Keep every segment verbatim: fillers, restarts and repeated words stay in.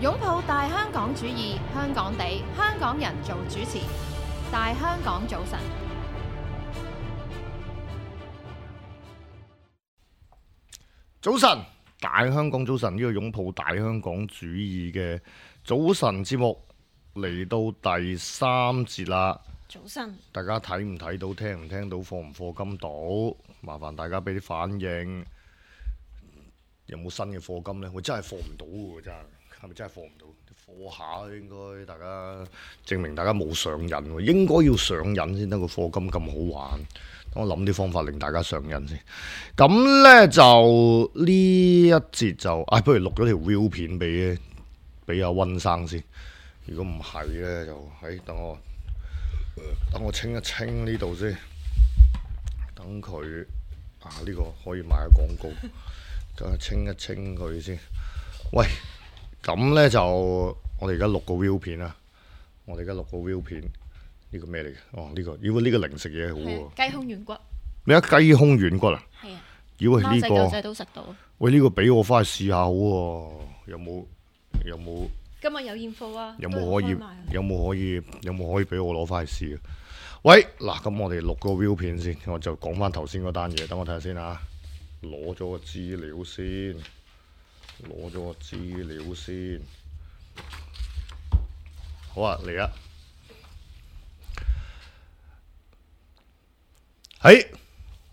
擁抱大香港主義，香港地，香港人做主持。大香港早晨，早晨，大香港早晨，呢個擁抱大香港主義嘅早晨節目嚟到第三節啦。早晨，大家睇唔睇到，聽唔聽到，課唔課金到？麻煩大家俾啲反應。有冇新嘅課金呢？我真係課唔到喎，真係係咪真係課唔到？課下應該大家證明大家冇上癮喎，應該要上癮先得個課金咁好玩。等我諗啲方法令大家上癮先。咁呢，就呢一節就，唉、哎，不如錄咗條 view 片俾俾阿溫生先。如果唔係呢，就喺、哎、等我等我清一清呢度先。等佢啊，呢、這個可以買下廣告。等我清一清佢先。喂！咁呢，就我哋而家錄個 view 片啊！我哋而家錄個 view 片，呢、這個咩嚟嘅？哦，呢、這個，如果呢個零食嘢好喎。雞胸軟骨。咩啊？雞胸軟骨啊？係啊。如果係呢個，貓仔狗仔都食到。喂，呢、這個俾我翻去試下好喎、啊。有冇？有冇？今日有現貨啊！有冇可以？有冇可以？有冇可以俾我攞翻去試啊？喂，嗱，咁我哋錄個 view 片先，我就講翻頭先嗰單嘢，等我睇下先啊。攞咗個資料先。攞咗個資料先，好啊，嚟啊！喺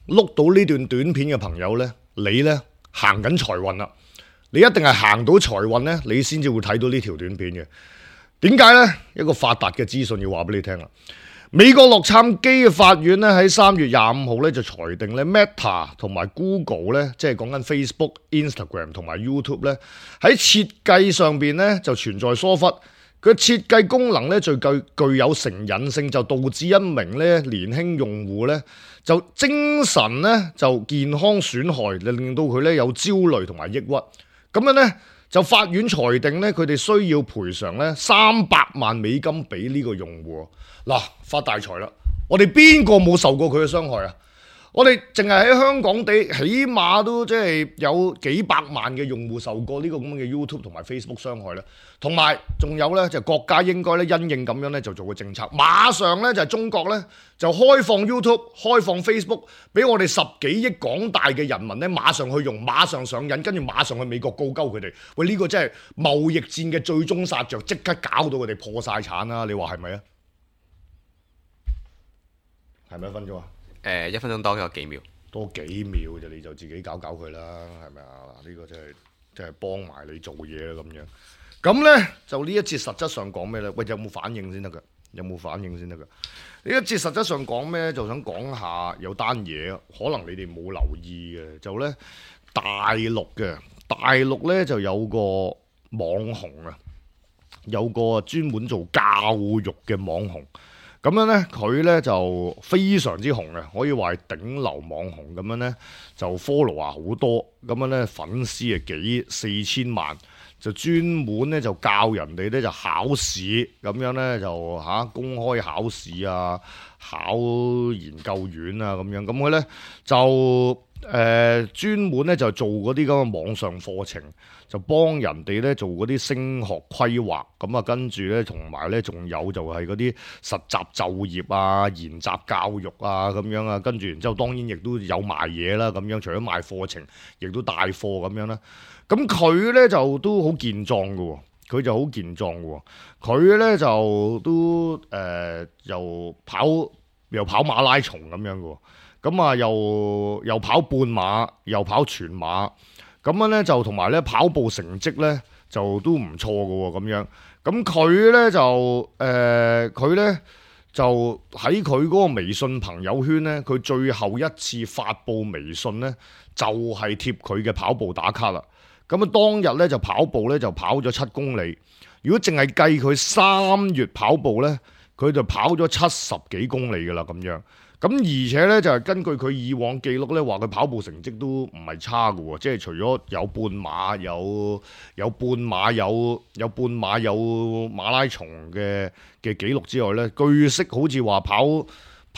碌到呢段短片嘅朋友呢，你呢行緊財運啦，你一定係行到財運呢，你先至會睇到呢條短片嘅。點解呢？一個發達嘅資訊要話俾你聽啦。美國洛杉磯嘅法院咧喺三月廿五號咧就裁定咧 Meta 同埋 Google 咧，即係講緊 Facebook、Instagram 同埋 YouTube 咧喺設計上邊咧就存在疏忽，佢設計功能咧最具具有成癮性，就導致一名咧年輕用戶咧就精神咧就健康損害，令到佢咧有焦慮同埋抑鬱，咁樣咧。就法院裁定咧，佢哋需要賠償咧三百萬美金俾呢個用戶。嗱，發大財啦！我哋邊個冇受過佢嘅傷害啊？我哋淨係喺香港地，起碼都即係有幾百萬嘅用戶受過呢個咁嘅 YouTube 同埋 Facebook 傷害啦。同埋仲有咧，就國家應該咧因應咁樣咧就做個政策，馬上咧就係中國咧就開放 YouTube、開放 Facebook， 俾我哋十幾億廣大嘅人民咧馬上去用，馬上上癮，跟住馬上去美國告鳩佢哋。喂，呢個真係貿易戰嘅最終殺着，即刻搞到佢哋破晒產啦！你話係咪啊？係咪一分鐘啊？誒、呃、一分鐘多咗幾秒，多幾秒就你就自己搞搞佢啦，係咪啊？嗱，呢個真係真係幫埋你做嘢啦咁樣。咁呢，就呢一節實質上講咩呢？喂，有冇反應先得㗎？有冇反應先得㗎？呢一節實質上講咩？就想講下有單嘢，可能你哋冇留意嘅，就呢大陸嘅大陸呢就有個網紅啊，有個專門做教育嘅網紅。咁樣呢，佢呢就非常之紅嘅，可以話係頂流網紅咁樣呢，就 follow 啊好多，咁樣呢粉絲啊幾四千萬，就專門呢就教人哋呢就考試，咁樣呢就嚇、啊、公開考試啊，考研究院啊咁樣，咁佢呢就誒、呃、專門呢就做嗰啲咁嘅網上課程。就幫人哋咧做嗰啲升學規劃，咁啊跟住咧同埋咧仲有就係嗰啲實習就業啊、研習教育啊咁樣啊，跟住然之後當然亦都有賣嘢啦，咁樣除咗賣課程，亦都帶貨咁樣啦。咁佢咧就都好健壯嘅喎，佢就好健壯嘅喎，佢咧就都誒、呃、又跑又跑馬拉松咁樣嘅喎，咁啊又又跑半馬，又跑全馬。咁樣咧就同埋咧跑步成績咧就都唔錯嘅喎，咁樣咁佢咧就誒佢咧就喺佢嗰個微信朋友圈咧，佢最後一次發布微信咧就係貼佢嘅跑步打卡啦。咁啊當日咧就跑步咧就跑咗七公里，如果淨係計佢三月跑步咧，佢就跑咗七十幾公里㗎啦咁樣。咁而且咧就係根據佢以往記錄咧，話佢跑步成績都唔係差嘅喎，即係除咗有半馬、有有半馬、有有半馬、有馬拉松嘅嘅記錄之外咧，據悉好似話跑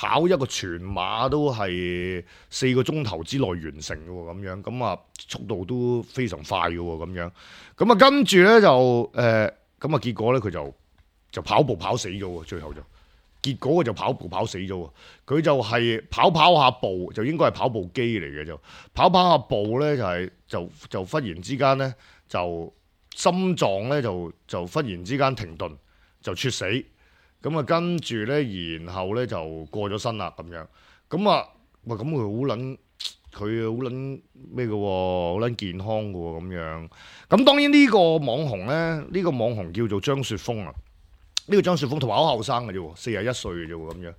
跑一個全馬都係四個鐘頭之內完成嘅喎，咁樣咁啊速度都非常快嘅喎，咁樣咁啊跟住咧就誒咁啊結果咧佢就就跑步跑死咗喎，最後就結果佢就跑步跑死咗喎，佢就係跑跑下步就應該係跑步機嚟嘅，就跑跑下步咧就係、是、就就忽然之間咧就心臟咧就就忽然之間停頓就猝死。咁啊，跟住咧，然後咧就過咗身啦，咁樣。咁啊，喂，咁佢好撚，佢好撚咩嘅喎，好撚健康嘅喎，咁樣。咁當然呢個網紅咧，呢、呢個網紅叫做張雪峰啊。呢、呢個張雪峰同埋好後生嘅啫喎，四十一歲嘅啫喎，咁樣。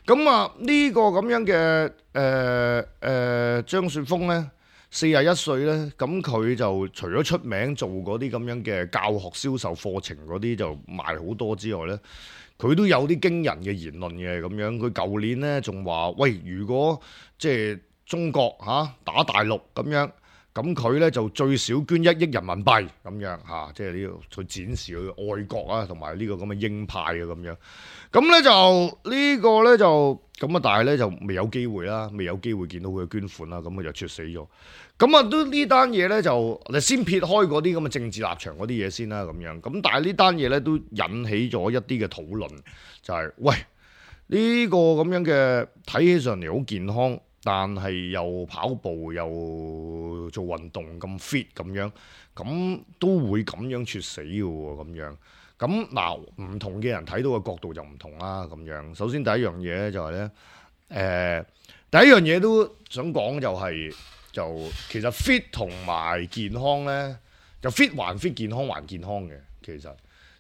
咁啊，呢個咁樣嘅誒誒張雪峰咧，四十一歲咧，咁佢就除咗出名做嗰啲咁樣嘅教學銷售課程嗰啲就賣好多之外咧。佢都有啲驚人嘅言論嘅咁樣，佢舊年咧仲話：喂，如果即係中國嚇、啊、打大陸咁樣，咁佢咧就最少捐一億人民幣咁樣嚇、啊，即係呢個去展示佢愛國啊，同埋呢個咁嘅鷹派啊咁樣。咁咧就、呢個、呢個咧就咁啊，但係咧就未有機會啦，未有機會見到佢嘅捐款啦，咁佢就猝死咗。咁啊，都呢單嘢咧就你先撇開嗰啲咁嘅政治立場嗰啲嘢先啦，咁樣。咁但係呢單嘢咧都引起咗一啲嘅討論，就係、是、喂呢、呢個咁樣嘅睇起上嚟好健康，但係又跑步又做運動咁 fit 咁樣，咁都會咁樣猝死嘅喎，咁樣。咁嗱，唔同嘅人睇到嘅角度就唔同啦，咁樣。首先第一樣嘢咧就係、是、咧，誒、呃、第一樣嘢都想講就係、是。就其實 fit 同埋健康咧，就 fit 還 fit，健康還健康嘅。其實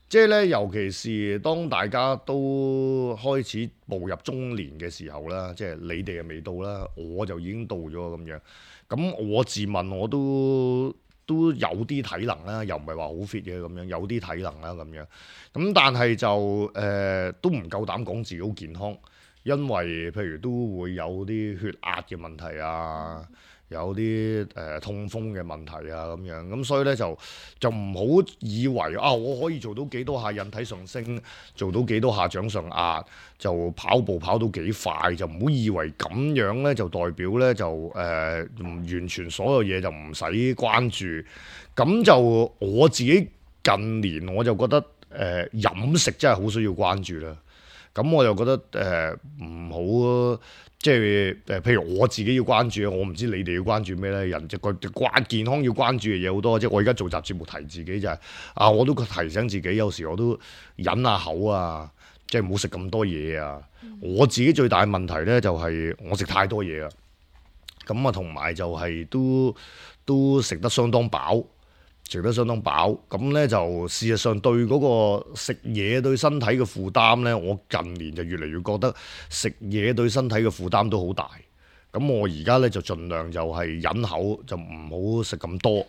即係咧，尤其是當大家都開始步入中年嘅時候啦，即係你哋又未到啦，我就已經到咗咁樣。咁我自問我都都有啲體能啦，又唔係話好 fit 嘅咁樣，有啲體能啦咁樣。咁但係就誒、呃、都唔夠膽講自己好健康，因為譬如都會有啲血壓嘅問題啊。有啲誒、呃、痛風嘅問題啊咁樣，咁所以咧就就唔好以為啊我可以做到幾多下引體上升，做到幾多下掌上壓，就跑步跑到幾快，就唔好以為咁樣咧就代表咧就誒唔、呃、完全所有嘢就唔使關注。咁就我自己近年我就覺得誒、呃、飲食真係好需要關注啦。咁我就覺得誒唔好。即係誒，譬如我自己要關注，我唔知你哋要關注咩咧？人就個關健康要關注嘅嘢好多，即係我而家做集節目提自己就係、是、啊，我都提醒自己，有時我都忍下口啊，即係唔好食咁多嘢啊。嗯、我自己最大嘅問題咧就係我食太多嘢啊，咁啊同埋就係都都食得相當飽。食得相當飽，咁咧就事實上對嗰個食嘢對身體嘅負擔咧，我近年就越嚟越覺得食嘢對身體嘅負擔都好大。咁我而家咧就盡量就係忍口，就唔好食咁多，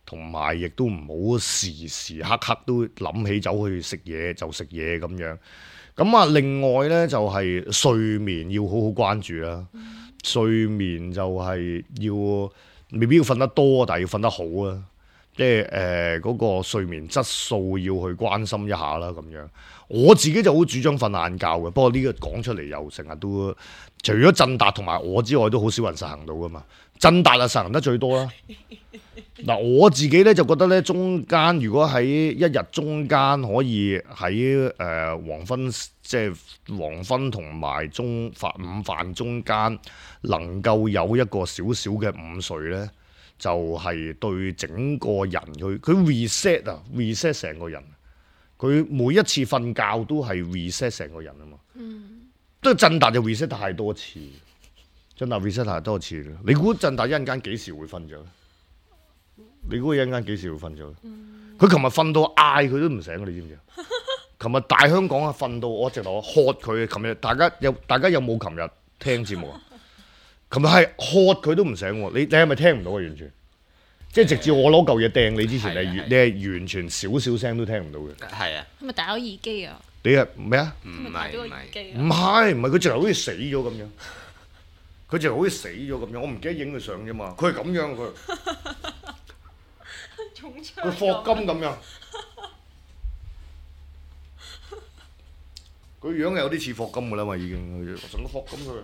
同埋亦都唔好時時刻刻都諗起走去食嘢就食嘢咁樣。咁啊，另外咧就係睡眠要好好關注啦。嗯、睡眠就係要未必要瞓得多，但係要瞓得好啊。即係誒嗰個睡眠質素要去關心一下啦，咁樣我自己就好主張瞓晏覺嘅。不過呢個講出嚟又成日都，除咗振達同埋我之外，都好少人實行到噶嘛。振達啊實行得最多啦。嗱我自己咧就覺得咧，中間如果喺一日中間可以喺誒、呃、黃昏，即係黃昏同埋中飯午飯中間，能夠有一個少少嘅午睡咧。就係對整個人佢佢 reset 啊 reset 成個人，佢每一次瞓覺都係 reset 成個人啊嘛。嗯，都振達就 reset 太多次，振達 reset 太多次啦。你估振達一陣間幾時會瞓着？你估佢一陣間幾時會瞓着？佢琴日瞓到嗌佢都唔醒，你知唔知？琴日大香港啊，瞓到我直頭喝佢。琴日大家有大家有冇琴日聽節目啊？琴日係喝佢都唔醒喎，你你係咪聽唔到啊？完全，即係直至我攞嚿嘢掟你之前，你你係完全少少聲都聽唔到嘅。係啊，係咪戴咗耳機啊？你係咩啊？唔係唔係，唔係唔係，佢直頭好似死咗咁樣，佢直頭好似死咗咁樣。我唔記得影佢相啫嘛，佢係咁樣佢，佢霍金咁樣，佢樣係有啲似霍金噶啦嘛，已經成個霍金佢。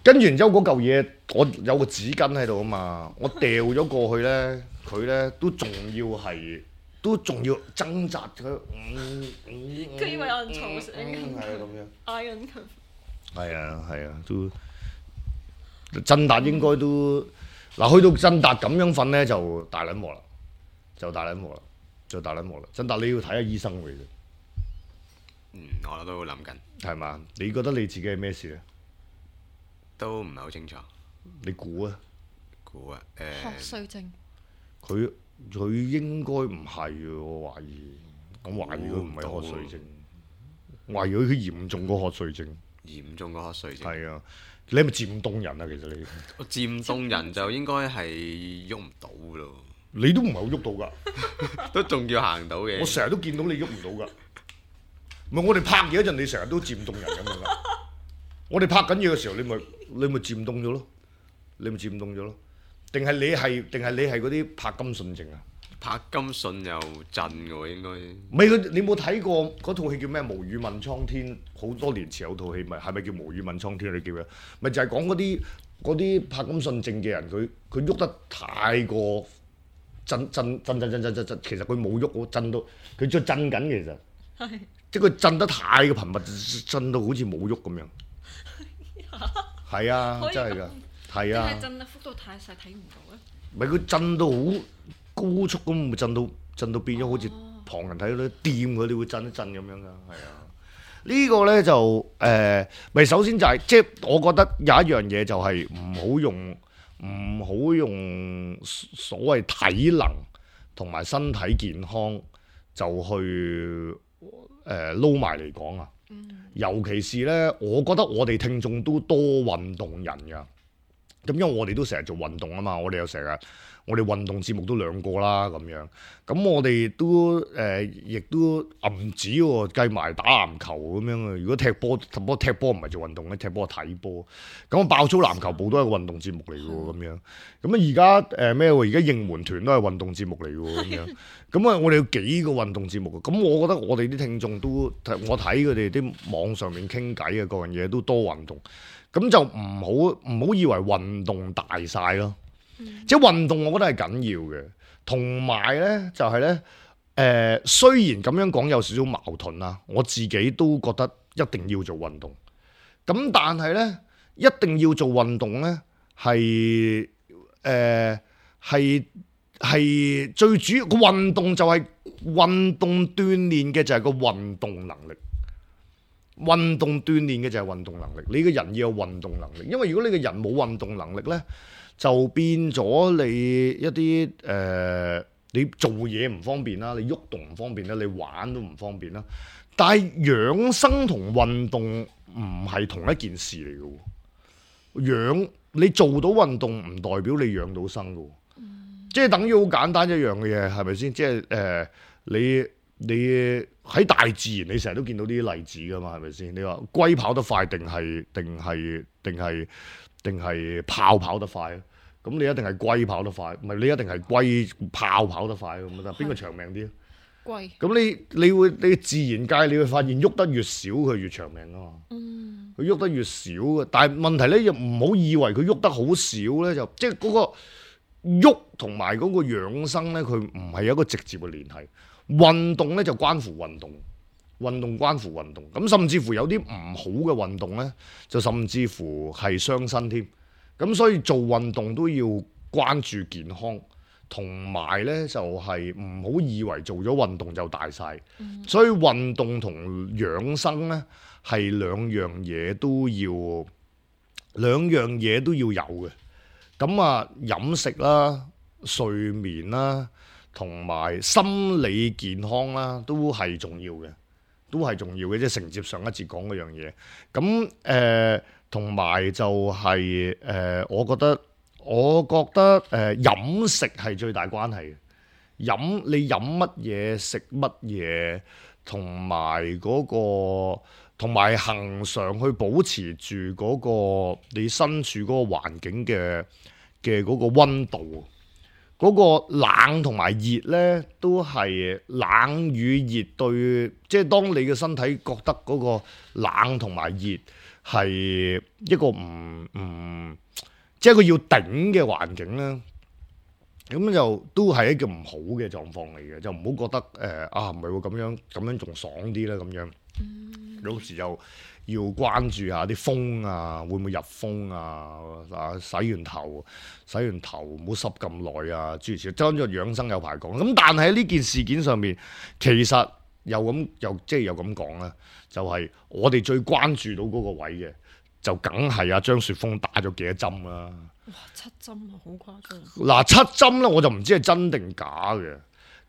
跟住然之後嗰嚿嘢，我有個紙巾喺度啊嘛，我掉咗過去咧，佢咧都仲要係，都仲要掙扎佢。佢、嗯嗯、以為有人嘈醒，係啊咁樣。嗌緊佢。係啊係啊，都震達應該都嗱，去到震達咁樣瞓咧就大撚鑊啦，就大撚鑊啦，就大撚鑊啦。震達你要睇下醫生嘅啫。嗯，我都諗緊，係嘛？你覺得你自己係咩事咧？都唔係好清楚。你估啊？估啊，誒、學衰症，佢佢應該唔係嘅，我懷疑。我懷疑佢唔係估唔到瞌睡症，我懷疑佢嚴重過瞌睡症。嚴重過瞌睡症。係啊，你係咪漸凍人啊？其實你我漸凍人就應該係喐唔到咯，你都唔係好喐到㗎。都仲要行到嘅。我成日都見到你喐唔到㗎。唔係我哋拍嘢嗰陣，你成日都漸凍人咁樣㗎。我哋拍緊嘢嘅時候，你咪你咪漸凍咗咯，你咪漸凍咗咯。定係你係定係你係嗰啲柏金遜症啊？柏金遜又震嘅喎，應該。唔係佢，你冇睇過嗰套戲叫咩？無語問蒼天，好多年前有套戲，咪係咪叫無語問蒼天？你記唔記得？咪就係講嗰啲嗰啲柏金遜症嘅人，佢佢喐得太過震震震震震震震震，其實佢冇喐，我震到佢再震緊，其實係即係佢震得太過頻密，震到好似冇喐咁樣。係啊，可以真係㗎，係定啊係。震得幅度太細睇唔到咧？唔係佢震到好高速咁，會震到震到變咗好似旁人睇到啲掂佢哋會震一震咁樣㗎，係啊。呢個咧就誒，咪首先就係即係我覺得有一樣嘢就係唔好用唔好用所謂體能同埋身體健康就去誒撈埋嚟講啊。尤其是咧，我覺得我哋聽眾都多運動人㗎。咁因為我哋都成日做運動啊嘛，我哋又成日我哋運動節目都兩個啦咁樣，咁我哋都誒亦、呃、都唔止喎，計埋打籃球咁樣啊。如果踢波，不過踢波唔係做運動咧，踢波係睇波。咁爆粗籃球部都係個運動節目嚟嘅喎，咁樣。咁啊而家誒咩喎？而家應援團都係運動節目嚟嘅喎，咁樣。咁啊，我哋有幾個運動節目嘅，咁我覺得我哋啲聽眾都，我睇佢哋啲網上面傾偈嘅各樣嘢都多運動。咁就唔好唔好以為運動大晒咯，嗯、即係運動我覺得係緊要嘅，同埋咧就係、是、咧，誒、呃、雖然咁樣講有少少矛盾啦，我自己都覺得一定要做運動，咁但係咧一定要做運動咧係誒係係最主要個運動就係、是、運動鍛鍊嘅就係個運動能力。運動鍛鍊嘅就係運動能力，你個人要有運動能力，因為如果你個人冇運動能力呢，就變咗你一啲誒、呃，你做嘢唔方便啦，你喐動唔方便啦，你玩都唔方便啦。但係養生同運動唔係同一件事嚟嘅喎，養你做到運動唔代表你養到生嘅喎，嗯、即係等於好簡單一樣嘅嘢，係咪先？即係誒、呃、你。你喺大自然，你成日都見到呢啲例子噶嘛，係咪先？你話龜跑得快定係定係定係定係豹跑得快啊？咁你一定係龜跑得快，唔係你一定係龜豹跑得快咁得？邊個長命啲啊？龜。咁你你會你自然界你會發現喐得越少佢越長命啊嘛。嗯。佢喐得越少嘅，但係問題咧又唔好以為佢喐得好少咧，就即係嗰個喐同埋嗰個養生咧，佢唔係有一個直接嘅聯繫。運動咧就關乎運動，運動關乎運動，咁甚至乎有啲唔好嘅運動咧，就甚至乎係傷身添。咁所以做運動都要關注健康，同埋咧就係唔好以為做咗運動就大晒。嗯、所以運動同養生咧係兩樣嘢都要，兩樣嘢都要有嘅。咁啊，飲食啦、睡眠啦。同埋心理健康啦，都係重要嘅，都係重要嘅，即係承接上一節講嗰樣嘢。咁誒，同、呃、埋就係、是、誒、呃，我覺得，我覺得誒、呃、飲食係最大關係嘅。飲你飲乜嘢，食乜嘢，同埋嗰個，同埋恆常去保持住嗰個你身處嗰個環境嘅嘅嗰個溫度。嗰個冷同埋熱呢，都係冷與熱對，即係當你嘅身體覺得嗰個冷同埋熱係一個唔唔，即係佢要頂嘅環境咧，咁就都係一個唔好嘅狀況嚟嘅，就唔好覺得誒、呃、啊唔係喎，咁樣咁樣仲爽啲啦咁樣，有時就要關注下啲風啊，會唔會入風啊？啊，洗完頭，洗完頭唔好濕咁耐啊！諸如此類，當咗養生有排講。咁但係喺呢件事件上面，其實又咁又即係又咁講啦，就係、是、我哋最關注到嗰個位嘅，就梗係阿張雪峰打咗幾多針啦。哇！七針啊，好誇張。嗱，七針咧，我就唔知係真定假嘅。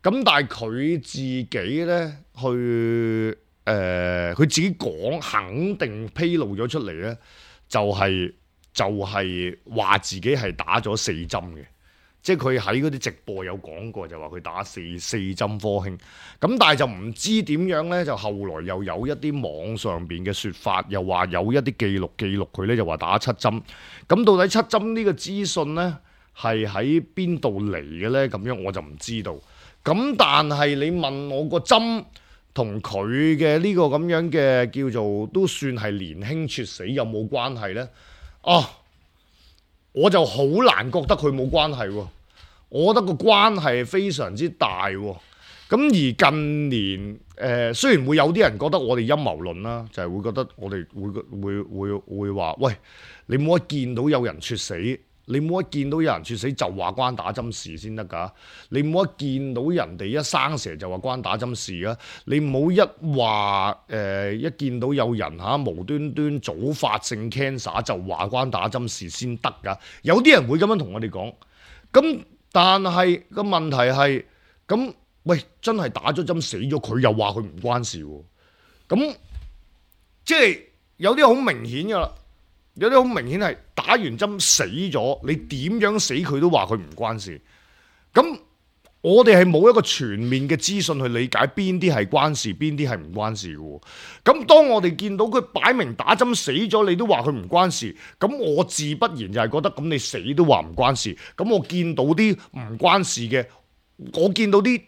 咁但係佢自己咧去。誒，佢、呃、自己講肯定披露咗出嚟咧，就係、是、就係、是、話自己係打咗四針嘅，即係佢喺嗰啲直播有講過，就話佢打四四針科興。咁但係就唔知點樣咧，就後來又有一啲網上邊嘅説法，又話有一啲記錄記錄佢咧，就話打七針。咁到底七針呢個資訊咧係喺邊度嚟嘅咧？咁樣我就唔知道。咁但係你問我個針，同佢嘅呢個咁樣嘅叫做都算係年輕猝死有冇關係呢？啊，我就好難覺得佢冇關係喎。我覺得個關係非常之大喎。咁而近年誒、呃，雖然會有啲人覺得我哋陰謀論啦，就係、是、會覺得我哋會會會會話，喂，你冇一見到有人猝死。你冇一見到有人猝死就話關打針事先得㗎，你冇一見到人哋一生蛇就話關打針事啊！你冇一話誒、呃、一見到有人嚇、啊、無端端早發性 cancer 就話關打針事先得㗎，有啲人會咁樣同我哋講。咁但係個問題係咁，喂，真係打咗針死咗，佢又話佢唔關事喎。咁即係有啲好明顯㗎啦。有啲好明顯係打完針死咗，你點樣死佢都話佢唔關事。咁我哋係冇一個全面嘅資訊去理解邊啲係關事，邊啲係唔關事嘅。咁當我哋見到佢擺明打針死咗，你都話佢唔關事，咁我自不然就係覺得咁你死都話唔關事。咁我見到啲唔關事嘅，我見到啲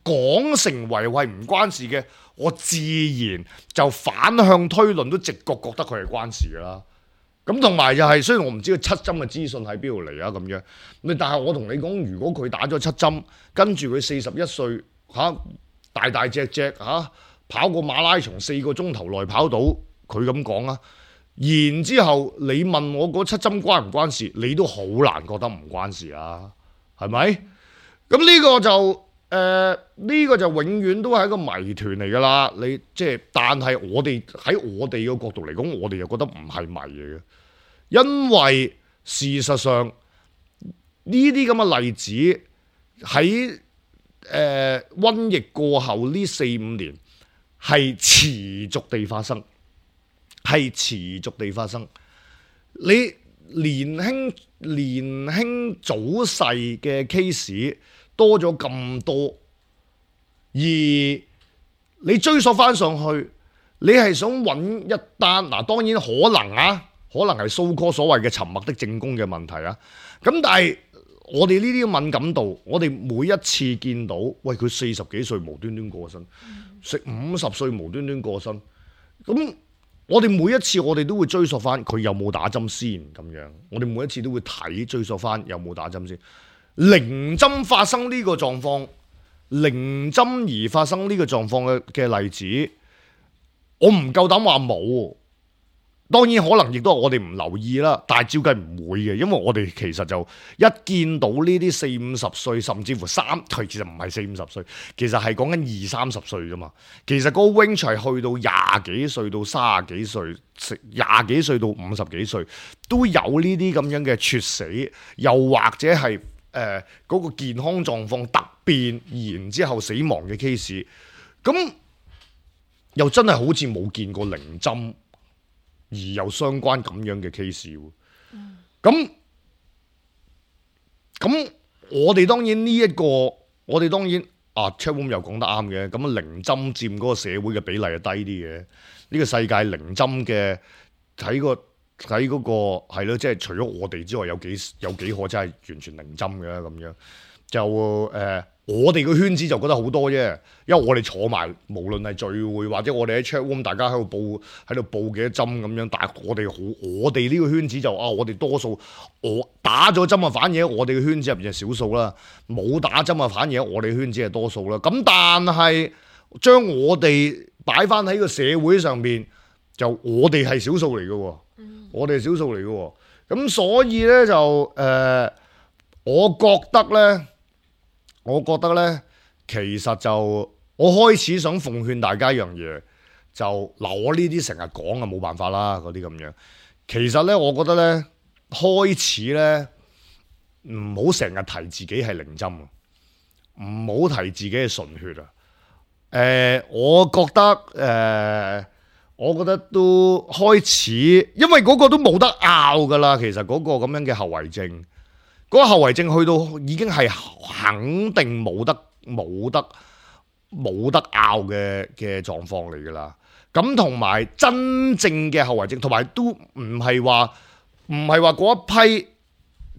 講成為係唔關事嘅，我自然就反向推論，都直覺覺得佢係關事㗎啦。咁同埋就係、是，雖然我唔知佢七針嘅資訊喺邊度嚟啊咁樣，但係我同你講，如果佢打咗七針，跟住佢四十一歲嚇，大大隻隻嚇、啊，跑個馬拉松四個鐘頭內跑到，佢咁講啊。然之後你問我嗰七針關唔關事，你都好難覺得唔關事啊，係咪？咁呢個就。誒呢、呃呢個就永遠都係一個謎團嚟㗎啦，你即係，但係我哋喺我哋嘅角度嚟講，我哋又覺得唔係謎嚟嘅，因為事實上呢啲咁嘅例子喺誒、呃、瘟疫過後呢四五年係持續地發生，係持續地發生。你年輕年輕早逝嘅 case。多咗咁多，而你追溯翻上去，你係想揾一單嗱，當然可能啊，可能係蘇科所謂嘅沉默的正宮嘅問題啊。咁但係我哋呢啲敏感度，我哋每一次見到，喂，佢四十幾歲無端端過身，食五十歲無端端過身，咁我哋每一次我哋都會追溯翻佢有冇打針先咁樣，我哋每一次都會睇追溯翻有冇打針先。零針發生呢個狀況，零針而發生呢個狀況嘅嘅例子，我唔夠膽話冇。當然可能亦都係我哋唔留意啦，但係照計唔會嘅，因為我哋其實就一見到呢啲四五十歲，甚至乎三，佢其實唔係四五十歲，其實係講緊二三十歲啫嘛。其實嗰個 range 係去到廿幾歲到三十幾歲，廿幾歲到五十幾歲都有呢啲咁樣嘅猝死，又或者係。誒嗰、呃嗰個健康狀況突變，然之後死亡嘅 case， 咁又真係好似冇見過零針而有相關咁樣嘅 case 喎。咁咁我哋當然呢、這、一個，我哋當然啊 Chatroom 又講得啱嘅。咁啊零針佔嗰個社會嘅比例係低啲嘅。呢、這個世界零針嘅睇個喺嗰個係咯，即係除咗我哋之外，有幾有幾可真係完全零針嘅咁樣。就誒、呃，我哋個圈子就覺得好多啫，因為我哋坐埋，無論係聚會或者我哋喺 chat room，大家喺度報喺度報幾多針咁樣，但係我哋好，我哋呢個圈子就啊，我哋多數我打咗針啊，反而我哋嘅圈子入邊係少數啦，冇打針啊，反而我哋圈子係多數啦。咁但係將我哋擺翻喺個社會上邊，就我哋係少數嚟嘅喎，嗯、我哋係少數嚟嘅喎。咁所以咧就誒、呃，我覺得咧。我覺得咧，其實就我開始想奉勸大家一樣嘢，就嗱我呢啲成日講啊，冇辦法啦，嗰啲咁樣。其實咧，我覺得咧，開始咧唔好成日提自己係零針啊，唔好提自己係純血啊。誒、呃，我覺得誒、呃，我覺得都開始，因為嗰個都冇得拗噶啦。其實嗰個咁樣嘅後遺症。嗰個後遺症去到已經係肯定冇得冇得冇得拗嘅嘅狀況嚟㗎啦。咁同埋真正嘅後遺症，同埋都唔係話唔係話嗰一批，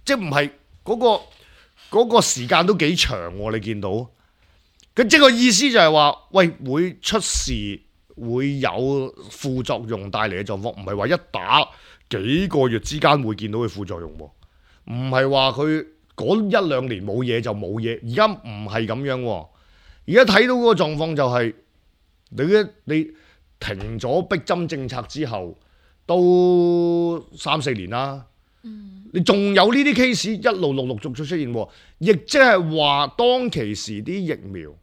即係唔係嗰個嗰個時間都幾長喎。你見到咁即係個意思就係話，喂，會出事，會有副作用帶嚟嘅狀況，唔係話一打幾個月之間會見到嘅副作用喎。唔係話佢嗰一兩年冇嘢就冇嘢，而家唔係咁樣喎。而家睇到嗰個狀況就係、是、你你停咗逼針政策之後，都三四年啦。嗯、你仲有呢啲 case 一路陸陸續續出現，亦即係話當其時啲疫苗，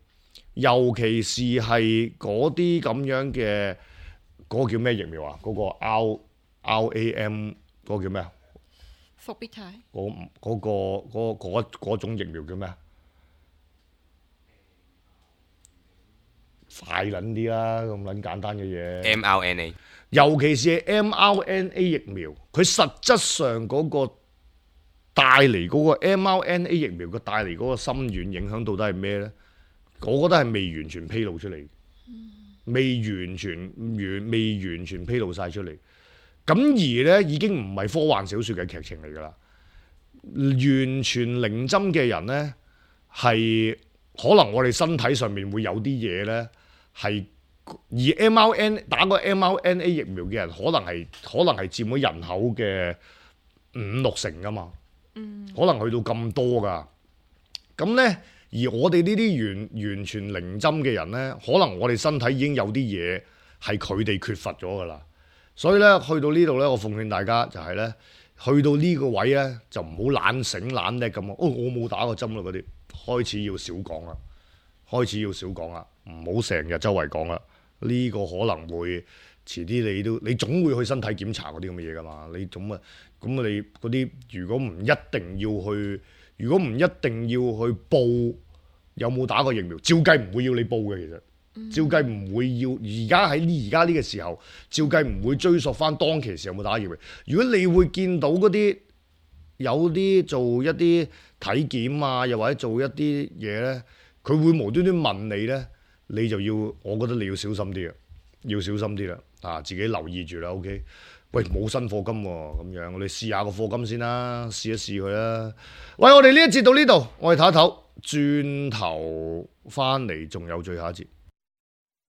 尤其是係嗰啲咁樣嘅嗰、嗰個叫咩疫苗啊？嗰、嗰個 R R A M 嗰個叫咩啊？復必泰嗰嗰個嗰嗰嗰種疫苗叫咩啊？快撚啲啦，咁撚簡單嘅嘢。M R N A， 尤其是係 M R N A 疫苗，佢實質上嗰個帶嚟嗰個 M R N A 疫苗嘅帶嚟嗰個深遠影響到底係咩咧？我覺得係未完全披露出嚟，嗯、未完全完未完全披露晒出嚟。咁而咧已經唔係科幻小說嘅劇情嚟㗎啦，完全零針嘅人咧係可能我哋身體上面會有啲嘢咧係，而 M R N 打個 M R N A 疫苗嘅人可能係可能係佔咗人口嘅五六成㗎嘛，嗯、可能去到咁多㗎。咁咧而我哋呢啲完完全零針嘅人咧，可能我哋身體已經有啲嘢係佢哋缺乏咗㗎啦。所以咧，去到呢度咧，我奉勸大家就係咧，去到呢個位咧，就唔好懶醒懶叻咁啊！哦，我冇打過針啦，嗰啲開始要少講啦，開始要少講啦，唔好成日周圍講啦。呢個可能會遲啲你都你總會去身體檢查嗰啲咁嘅嘢噶嘛。你總啊咁你嗰啲如果唔一定要去，如果唔一定要去報有冇打過疫苗，照計唔會要你報嘅其實。照計唔會要，而家喺呢而家呢個時候，照計唔會追溯翻當其時有冇打疫苗。如果你會見到嗰啲有啲做一啲體檢啊，又或者做一啲嘢咧，佢會無端端問你咧，你就要，我覺得你要小心啲啊，要小心啲啦，啊，自己留意住啦 ，OK。喂，冇新課金喎、啊，咁樣我哋試下個課金先啦，試一試佢啦。喂，我哋呢一節到呢度，我哋唞一唞，轉頭翻嚟仲有最後一節。